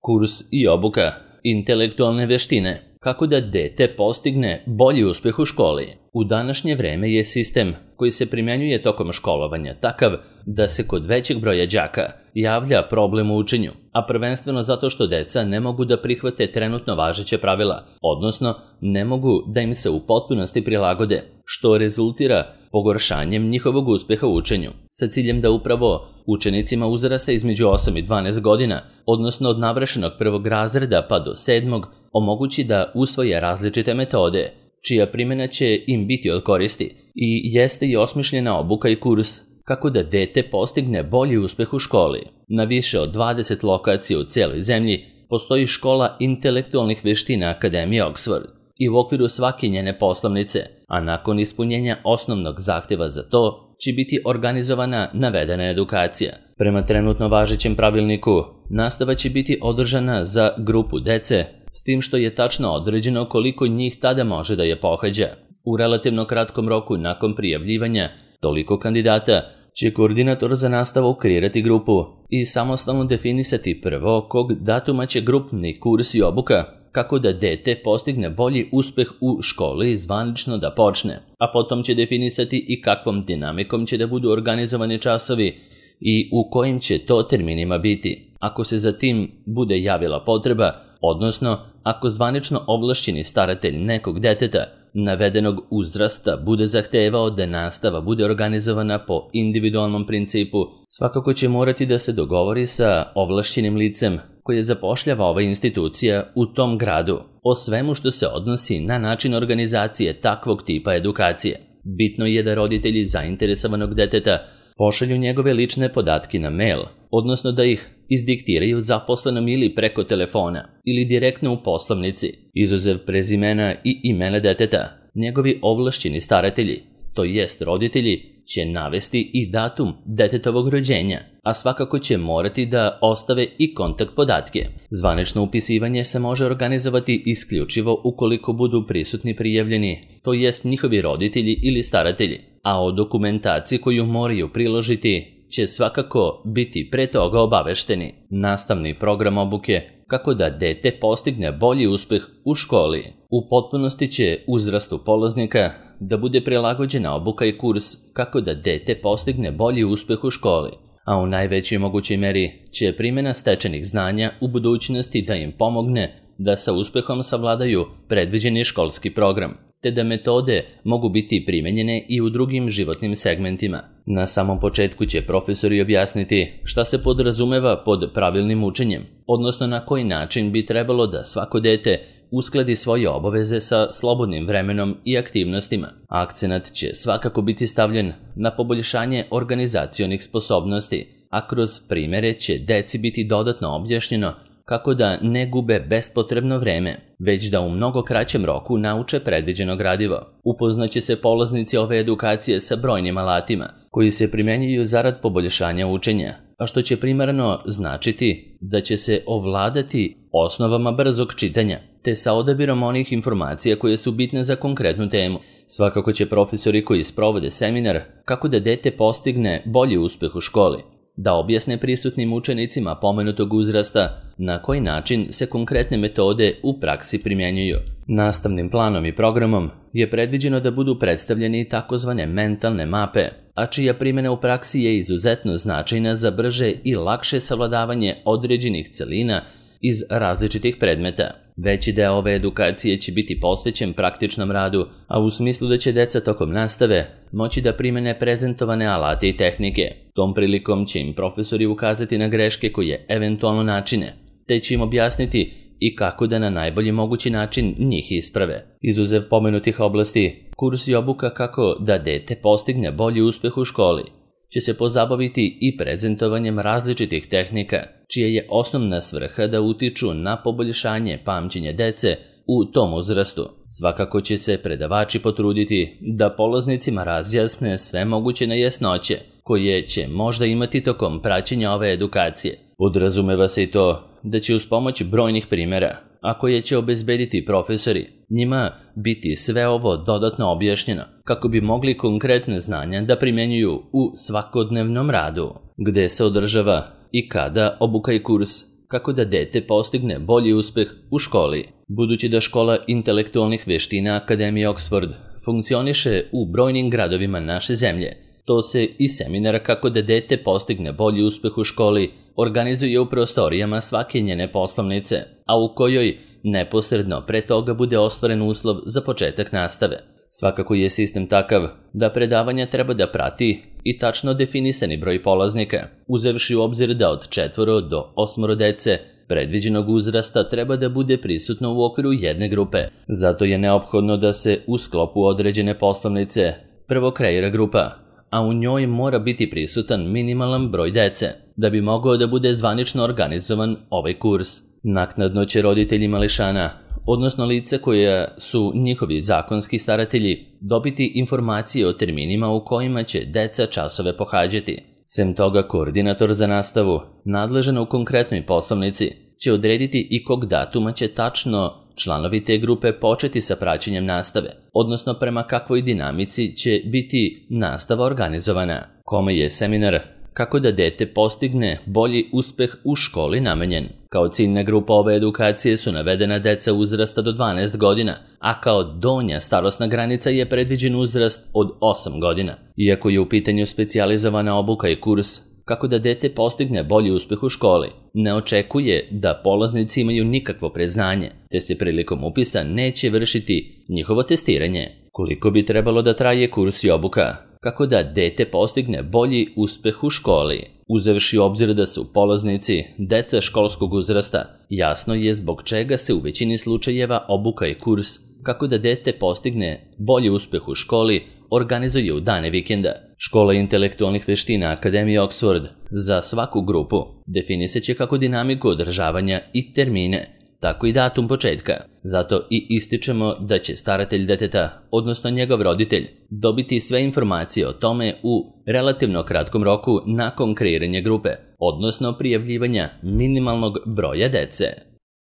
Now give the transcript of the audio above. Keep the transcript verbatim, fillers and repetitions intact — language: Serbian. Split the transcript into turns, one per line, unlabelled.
Kurs i obuka, intelektualne veštine, kako da dete postigne bolji uspeh u školi. U današnje vreme je sistem koji se primenjuje tokom školovanja takav da se kod većeg broja đaka javlja problem u učenju, a prvenstveno zato što deca ne mogu da prihvate trenutno važeće pravila, odnosno ne mogu da im se u potpunosti prilagode, što rezultira pogoršanjem njihovog uspeha u učenju, sa ciljem da upravo učenicima uzrasta između osam i dvanaest godina, odnosno od navršenog prvog razreda pa do sedmog, omogući da usvoje različite metode, čija primjena će im biti od koristi, i jeste i osmišljena obuka i kurs kako da dete postigne bolji uspeh u školi. Na više od dvadeset lokacija u cijeloj zemlji postoji škola intelektualnih veština Akademije Oxford i u okviru svake njene poslovnice, a nakon ispunjenja osnovnog zahtjeva za to će biti organizovana navedena edukacija. Prema trenutno važećem pravilniku, nastava će biti održana za grupu dece, s tim što je tačno određeno koliko njih tada može da je pohađa. U relativno kratkom roku nakon prijavljivanja toliko kandidata će koordinator za nastavu kreirati grupu i samostalno definisati prvo kog datuma će grupni kurs i obuka kako da dete postigne bolji uspeh u školi zvanično da počne, a potom će definisati i kakvom dinamikom će da budu organizovani časovi i u kojim će to terminima biti. Ako se za tim bude javila potreba, odnosno ako zvanično ovlašćeni staratelj nekog deteta navedenog uzrasta bude zahtevao da nastava bude organizovana po individualnom principu, svakako će morati da se dogovori sa ovlašćenim licem koje zapošljava ova institucija u tom gradu o svemu što se odnosi na način organizacije takvog tipa edukacije. Bitno je da roditelji zainteresovanog deteta pošalju njegove lične podatke na mail, odnosno da ih izdiktiraju zaposlenom ili preko telefona ili direktno u poslovnici, izuzev prezimena i imena deteta. Njegovi ovlašćeni staratelji, to jest roditelji, će navesti i datum detetovog rođenja, a svakako će morati da ostave i kontakt podatke. Zvanično upisivanje se može organizovati isključivo ukoliko budu prisutni prijavljeni, to jest njihovi roditelji ili staratelji, a o dokumentaciji koju moraju priložiti će svakako biti pre toga obavešteni. Nastavni program obuke kako da dete postigne bolji uspeh u školi. U potpunosti će uzrastu polaznika da bude prilagođena obuka i kurs kako da dete postigne bolji uspeh u školi, a u najvećoj mogućoj meri će primjena stečenih znanja u budućnosti da im pomogne da sa uspehom savladaju predviđeni školski program, te da metode mogu biti primenjene i u drugim životnim segmentima. Na samom početku će profesori objasniti šta se podrazumeva pod pravilnim učenjem, odnosno na koji način bi trebalo da svako dete uskladi svoje obaveze sa slobodnim vremenom i aktivnostima. Akcenat će svakako biti stavljen na poboljšanje organizacionih sposobnosti, a kroz primere će deci biti dodatno objašnjeno kako da ne gube bespotrebno vreme, već da u mnogo kraćem roku nauče predviđeno gradivo. Upoznaće se polaznici ove edukacije sa brojnim alatima koji se primenjuju zarad poboljšanja učenja, a što će primarno značiti da će se ovladati osnovama brzog čitanja, te sa odabirom onih informacija koje su bitne za konkretnu temu. Svakako će profesori koji sprovode seminar kako da dete postigne bolji uspeh u školi da objasne prisutnim učenicima pomenutog uzrasta na koji način se konkretne metode u praksi primjenjuju. Nastavnim planom i programom je predviđeno da budu predstavljeni takozvane mentalne mape, a čija primjena u praksi je izuzetno značajna za brže i lakše savladavanje određenih celina iz različitih predmeta. Veći deo ove edukacije će biti posvećen praktičnom radu, a u smislu da će deca tokom nastave moći da primene prezentovane alate i tehnike. Tom prilikom će im profesori ukazati na greške koje eventualno načine, te će im objasniti i kako da na najbolji mogući način njih isprave. Izuzev pomenutih oblasti, kurs i obuka kako da dete postigne bolji uspeh u školi će se pozabaviti i prezentovanjem različitih tehnika, čija je osnovna svrha da utiču na poboljšanje pamćenja dece u tom uzrastu. Svakako će se predavači potruditi da polaznicima razjasne sve moguće nejasnoće koje će možda imati tokom praćenja ove edukacije. Podrazumeva se i to da će uz pomoć brojnih primjera, a koje će obezbediti profesori, njima biti sve ovo dodatno objašnjeno kako bi mogli konkretne znanja da primenjuju u svakodnevnom radu. Gde se održava i kada obuka i kurs, kako da dete postigne bolji uspeh u školi. Budući da škola intelektualnih veština Akademije Oxford funkcioniše u brojnim gradovima naše zemlje, to se i seminar kako da dete postigne bolji uspeh u školi organizuje u prostorijama svake njene poslovnice, a u kojoj neposredno pre toga bude ostvaren uslov za početak nastave. Svakako je sistem takav da predavanja treba da prati i tačno definisani broj polaznika, uzevši u obzir da od četvoro do osmoro dece predviđenog uzrasta treba da bude prisutno u okviru jedne grupe. Zato je neophodno da se u sklopu određene poslovnice prvo kreira grupa, a u njoj mora biti prisutan minimalan broj dece, da bi mogao da bude zvanično organizovan ovaj kurs. Naknadno će roditelji mališana, odnosno lice koja su njihovi zakonski staratelji, dobiti informacije o terminima u kojima će deca časove pohađati. Sem toga, koordinator za nastavu, nadležan u konkretnoj poslovnici, će odrediti i kog datuma će tačno članovi te grupe početi sa praćenjem nastave, odnosno prema kakvoj dinamici će biti nastava organizovana. Kome je seminar kako da dete postigne bolji uspeh u školi namenjen? Kao ciljna grupa ove edukacije su navedena deca uzrasta do dvanaest godina, a kao donja starosna granica je predviđen uzrast od osam godina. Iako je u pitanju specijalizovana obuka i kurs kako da dete postigne bolji uspeh u školi, ne očekuje da polaznici imaju nikakvo preznanje, te se prilikom upisa neće vršiti njihovo testiranje. Koliko bi trebalo da traje kurs i obuka kako da dete postigne bolji uspeh u školi? Uzevši u obzir da su polaznici deca školskog uzrasta, jasno je zbog čega se u većini slučajeva obuka i kurs kako da dete postigne bolji uspeh u školi organizuje u dane vikenda. Škola intelektualnih veština Akademije Oxford za svaku grupu definiseće kako dinamiku održavanja i termine, tako i datum početka. Zato i ističemo da će staratelj deteta, odnosno njegov roditelj, dobiti sve informacije o tome u relativno kratkom roku nakon kreiranja grupe, odnosno prijavljivanja minimalnog broja dece.